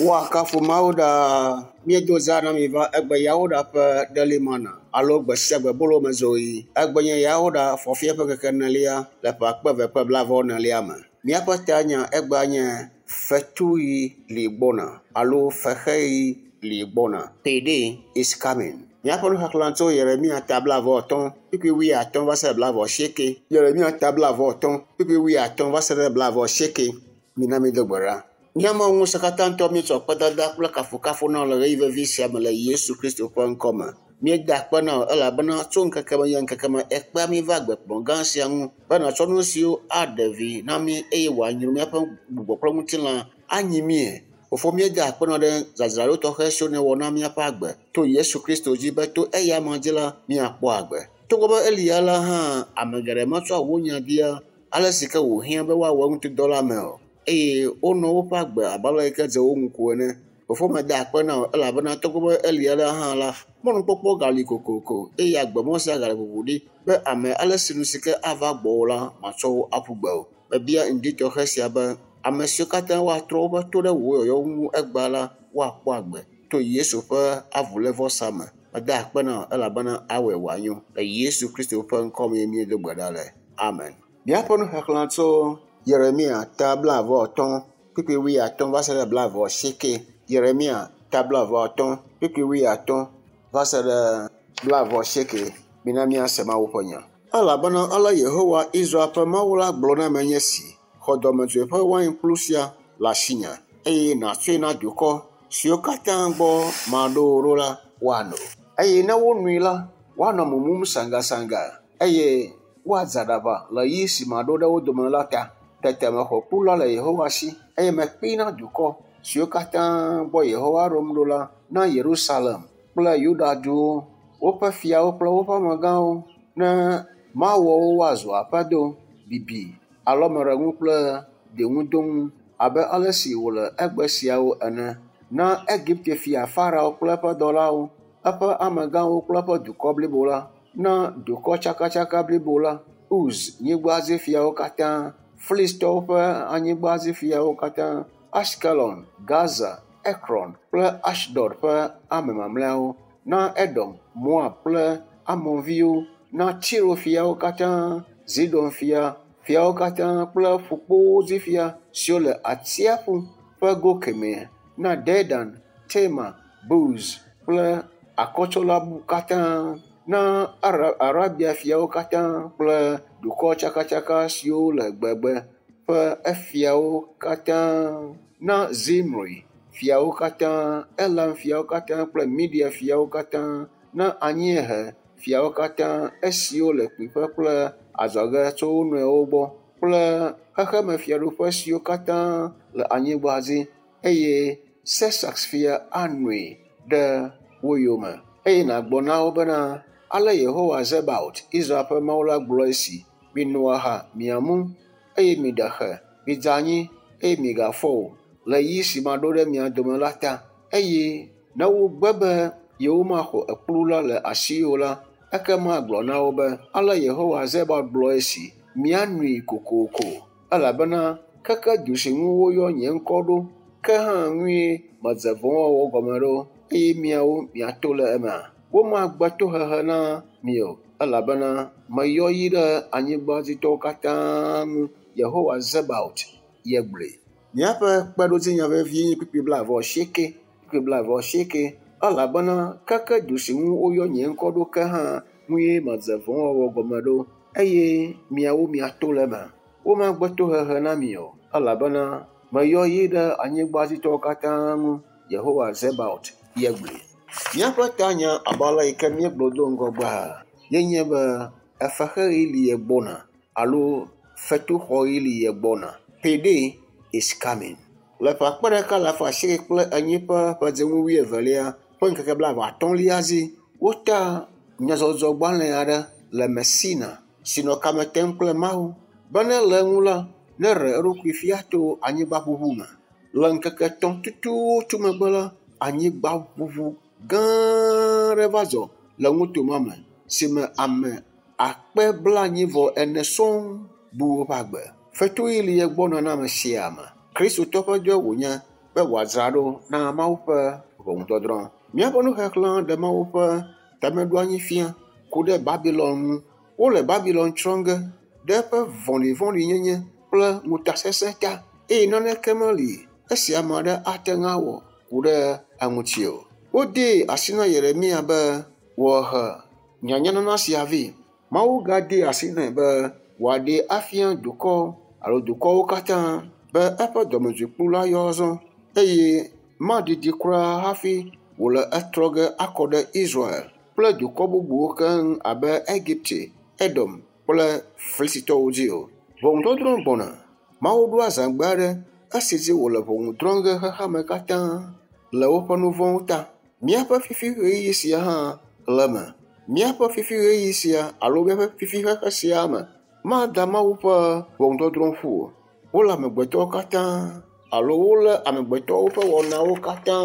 Woakafu Mawu ɖaa. Míedo za na mi va egbe Yawoɖa ƒe Daily Manna alo gbe sia gbe bolomezɔɣi. Egbe nye Yawoɖa fɔfia ƒe ŋkeke enelia le ƒe akpe eve kple blaeve enelia me. Míaƒe tanya egbea nye fetuɣi li gbɔna alo fexeɣi li gbɔna. Payday is coming. Míaƒe nuxexlẽ tso Yeremia ta blaeve-vɔ-atɔ̃, kpukpui wuiatɔ̃ va se ɖe blaeve-vɔ-asieke. Yeremia ta blaeve-vɔ-atɔ̃, kpukpui wuiatɔ̃ va se ɖe blaeve-vɔ-asieke. Mina mído gbe ɖa. Mía Mawu Ŋusẽkatãtɔ, míetsɔ akpedada kple kafukafu na wò le ɣeyiɣi vevi sia me le Yesu Kristo ƒe ŋkɔ me. Míeda akpe na wò elabena tso ŋkeke me yi ŋkeke me èkpea mí va agbekplɔ̃ gã sia ŋu be nàtsɔ nu siwo aɖe vi na mí eye wòanyro míaƒe gbɔgbɔ kple ŋutilã anyi míe. Fofo, míeda akpe na wò ɖe dzadzraɖo tɔxɛ siwo nèwɔ na míaƒe agbe to Yesu Kristo dzi be to eya amea dzi la, míakpɔ agbe. Togbɔ be eli alea hã, ame geɖe metsɔa wò nya dia ale si ke wòhiã be woawɔ eŋutidɔ la me o eye wonɔ woƒe agbe abe ale yi ke dze wo ŋu ko ene. Fofo, meda akpe na wò elabena togbɔ be eli alea hã la, mɔnukpɔkpɔ gali kokoko eye agbemɔ sia gale ʋuʋu ɖi be ame ale si nu si ke ava gbɔwò la, matsɔ wo aƒu gbe o. Mebia ŋdi tɔxɛ sia be ame siwo katã woatrɔ woƒe to ɖe wò yɔyɔ ŋu egbea la, woakpɔ agbe to Yesu ƒe avulévɔsa me. Meda akpe na wò elabena awɔe wòanyo. Le Yesu Kristo ƒe ŋkɔ mee míedo gbe ɖa le. Amen. Míaƒe nuxexlẽ tso Yeremia ta blaeve-vɔ-atɔ̃, kpukpui wuiatɔ̃ va se ɖe blaeve-vɔ-asieke. Yeremia ta blaeve-vɔ-atɔ̃, kpukpui wuiatɔ̃ va se ɖe blaeve-vɔ-asieke. Mina míase Mawu ƒe nya. Elabena ale Yehowa, Israel ƒe Mawu la gblɔ nam enye esi, Xɔ dɔmedzoe ƒe wainkplu sia le asinye, eye nàtsɔe na dukɔ siwo katã gbɔ maɖo wò ɖo la woano. Eye ne wonoe la, woanɔ mumum saŋgasaŋga, eye woadze aɖaʋa le ɣi si maɖo ɖe wo dome la ta. Tete mexɔ kplu la le Yehowa si, eye mekpee na dukɔ siwo katã gbɔ Yehowa ɖom ɖo la, na Yerusalem kple Yuda-duwo, woƒe fiawo kple woƒe amegãwo, ne mawɔ wo woazu aƒedo, bibi, alɔmeɖenu kple ɖiŋudonu, abe ale si wòle egbe siawo ene, na Egipte-fia Farao kple eƒe dɔlawo, eƒe amegãwo kple eƒe dukɔ blibo la, na dukɔ tsakatsaka blibo la, Uz nyigba dzi fiawo katã, Filistitɔwo ƒe anyigba dzi fiawo katã, Askelon, Gaza, Ekron kple Asdod ƒe ame mamlɛawo, na Edom, Moab kple Amonviwo, na Tiro fiawo katã, Zidon fia, fiawo katã kple ƒukpowo dzi fia siwo le atsiaƒu ƒe go kemɛ, na Dedan, Tema, Buz kple akɔtsɔla katã, na Arabia fiawo katã kple dukɔ tsakatsaka siwo le gbegbe ƒe efiawo katã, na Zimri fiawo katã, Elam fiawo katã kple Media fiawo katã, na anyiehe fiawo katã, esiwo le kpuiƒe kple adzɔge tso wo nɔewo gbɔ kple xexemefiaɖuƒe siwo katã le anyigba dzi, eye Sesax fia anoe ɖe wo yome. Eye nàgblɔ na wo bena, Ale Yehowa Zebaot, Israel ƒe Mawu la gblɔ esi, Mino aha, miamu, eye miɖe xe, midze anyi, eye migafɔ o, le ɣi si maɖo ɖe mia dome la ta. Eye ne wogbe be yewomaxɔ ekplu la le asiwò o la, ekema gblɔ na wo be, Ale Yehowa Zebaot gblɔ esi, Mianoe kokoko, elabena keke du si ŋu woyɔ nye ŋkɔ ɖo ke hã ŋue medze vɔ̃wɔwɔ gɔme ɖo, eye miawo miato le emea? Womagbe tohehe na mi o, elabena meyɔ yi ɖe anyigbadzitɔwo katã ŋu, Yehowa Zebaot ye gblɔe. Míaƒe kpeɖodzinya vevie nye kpukpui blaeve-vɔ-asieke, kpukpui blaeve-vɔ-asieke, elabena keke du si ŋu woyɔ nye ŋkɔ ɖo ke hã ŋue medze vɔ̃wɔwɔ gɔme ɖo, eye miawo miato le eme. Womagbe tohehe na mi o, elabena meyɔ yi ɖe anyigbadzitɔwo katã ŋu, Yehowa Zebaot ye gblɔe. Míaƒe tanya abe ale yi ke míegblɔ do ŋgɔgbea ye nye be efexeɣi li ye gbɔna alo fetuxɔɣi li ye gbɔna. Payday is coming. Le ƒe akpe ɖeka alafa asieke kple enyi ƒe ƒedzinu wuievelia ƒe ŋkeke blaeve atɔ̃lia dzi, wota nyadzɔdzɔgbalẽ aɖe le Messina si nɔ kame tem kple Mawu be ne le eŋu la, neɖe eɖokui fia to anyigbaʋuʋu me. Le ŋkeke etɔ̃ tututu megbe la, anyigbaʋuʋu gã aɖe va dzɔ le nuto ma me si me ame akpe blaenyi vɔ ene sɔŋ bu woƒe agbe. Fetuɣi li egbɔna na ame sia ame. Kristotɔ ƒe dɔe wònye be wòadzra ɖo na Mawu ƒe ʋɔnudɔdrɔ̃. Míaƒe nuxexlẽ ɖe Mawu ƒe tameɖoanyi fia ku ɖe Babilɔn ŋu. Wole Babilɔn tsrɔ̃ ge ɖe eƒe vɔ̃ɖivɔ̃ɖinyenye kple ŋutasesẽ ta eye naneke meli esi ame aɖe ate ŋu awɔ ku ɖe eŋuti o. Wodee asi na Yeremia be wòahe nyanyanana sia vɛ. Mawu gadee asi nɛ be wòaɖee afia dukɔ alo dukɔwo katã be eƒe dɔmedzoekplu la yɔ azɔ eye maɖiɖi kura hafi wòle etrɔ ge akɔ ɖe Israel kple dukɔ bubuwo keŋ abe Egipte, Edom kple Filistitɔwo dzi o. Ʋɔnudɔdrɔ̃ gbɔna. Mawu ɖo azãgbe aɖe esi dzi wòle ʋɔnu drɔ̃ ge xexeame katã le woƒe nu vɔ̃wo ta. Míaƒe fifi ɣeyiɣi sia hã le eme. Míaƒe fifi ɣeyiɣi sia alo míaƒe fifi xexe sia me mada Mawu ƒe ʋɔnudɔdrɔ̃ ƒu o. Wole amegbetɔwo katã alo wolé amegbetɔwo ƒe wɔnawo katã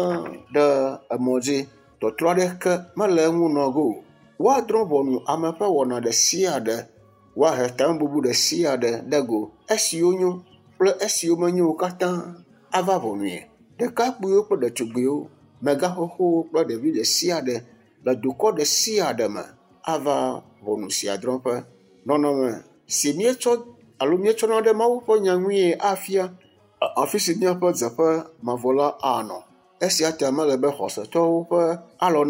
ɖe emɔ dzi. Tɔtrɔ aɖeke mele eŋu nɔ ge o. Woadrɔ̃ ʋɔnu ame ƒe wɔna ɖe sia ɖe. Woahe tamebubu ɖe sia ɖe ɖe go. Esiwo nyo kple esiwo menyo o katã ava ʋɔnue. Ɖekakpuiwo kple ɖetugbiwo, megaxoxowo kple ɖevi ɖe sia ɖe le dukɔ ɖe sia ɖe me ava ʋɔnu sia drɔ̃ƒe. Nɔnɔme si míetsɔ alo míetsɔna ɖe Mawu ƒe nya ŋue afia afi si míaƒe dzeƒe mavɔ la anɔ. Esia ta mele be xɔsetɔwo ƒe alɔ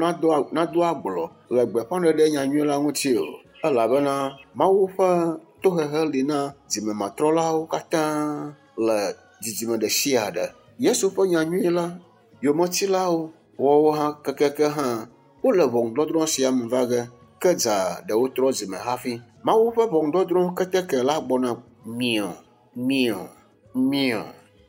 nado agblɔ le gbeƒãɖeɖe nyanyui la ŋuti o elabena Mawu ƒe tohehe li na dzimematrɔlawo katã le dzidzime ɖe sia ɖe. Yesu ƒe nyanyui la yometsilawo wɔwɔ hã kekeke hã wole ʋɔnudɔdrɔ̃ sia me va ge ke dza ɖewo trɔ dzime hafi. Mawu ƒe ʋɔnudɔdrɔ̃ keteke la gbɔna miɔ miɔ miɔ.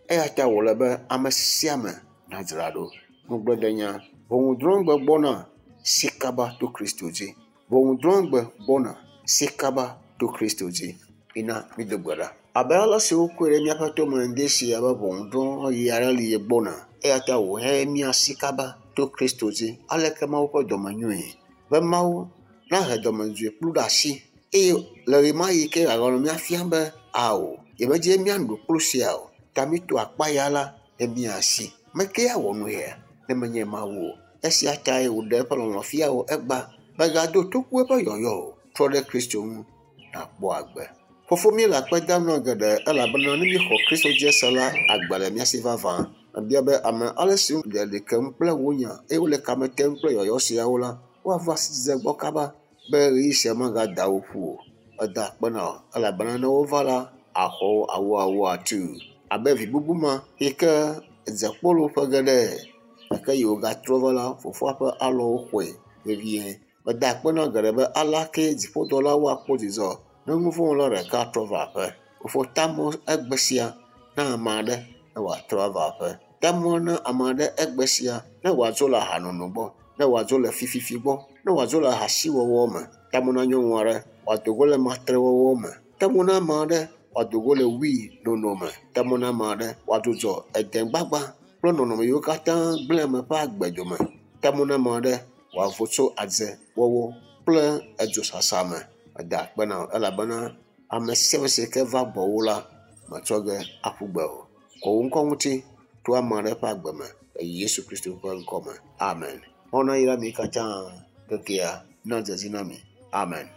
Eya ta wòle be ame sia ame nadzra ɖo. Ŋugbledenya ʋɔnudrɔ̃gbe gbɔna si kaba to Kristo dzi. Ʋɔnudrɔ̃gbe gbɔna si kaba to Kristo dzi. Mina mído gbe ɖa. Abe ale si wokɔe ɖe míaƒe tome ŋdi sia be ʋɔnudrɔ̃ɣi aɖe li gbɔna eya ta wòhe míasi kaba to Kristo dzi. Aleke Mawu ƒe dɔme nyoe be Mawu nahe dɔmedzoe kplu ɖe asi eye le ɣemaɣi ke wòaganɔ mía fiam be ao yemedze míaɖu kplu sia o ta míto akpa ya la ne míasi. Meke awɔ nu ya ne menye Mawu o. Esia tae wòɖe eƒe lɔlɔ̃ fia wò egbea. Mègado toku eƒe yɔyɔ o. Trɔ ɖe Kristo ŋu nàkpɔ agbe. Fofo míele akpe dam na geɖe elabena ne míexɔ Kristo dzi se la, agbe le mía si vavã. Mebia be ame ale si le ɖi kem kple wò nya eye wole kame tem kple yɔyɔ siawo la, woava sidzedze gbɔ kaba be ɣeyiɣi sia magada wo ƒu o. Eda akpe na wò elabena ne wova la, axɔ wo awoawo atuu abe vi bubu ma yi ke dze kpolo ƒe geɖe gake yi wògatrɔ va la, fofoa ƒe alɔwo xɔe vevie. Meda akpe na geɖe be alea kee dziƒodɔlawo akpɔ dzidzɔ ne nuvɔ̃wɔla ɖeka trɔ va aƒe. Fofo ta mɔ egbe sia na ame aɖe ne wòatrɔ ava aƒe. Ta mɔ na ame aɖe egbe sia ne wòadzo le ahanono gbɔ, ne wòadzo le fififi gbɔ, ne wòadzo le ahasiwɔwɔ me. Ta mɔ na nyɔnu aɖe wòado go le matrewɔwɔ me. Ta mɔ na ame aɖe wòado go le wui nono me. Ta mɔ na ame aɖe wòadzudzɔ edegbagba kple nɔnɔme yiwo katã gblẽ ame ƒe agbe dome. Ta mɔ na ame aɖe wòavo tso adzewɔwɔ kple edzosasa me. Meda akpe na wò elabena ame sia ame si ke va gbɔwò la, metsɔ ge aƒu gbe o. Kɔ wò ŋkɔ ŋuti to ame aɖe ƒe agbe me le Yesu Kristo ƒe ŋkɔ me. Amen. Mawu nayra mi katã kekea nadze dzi na mi. Amen.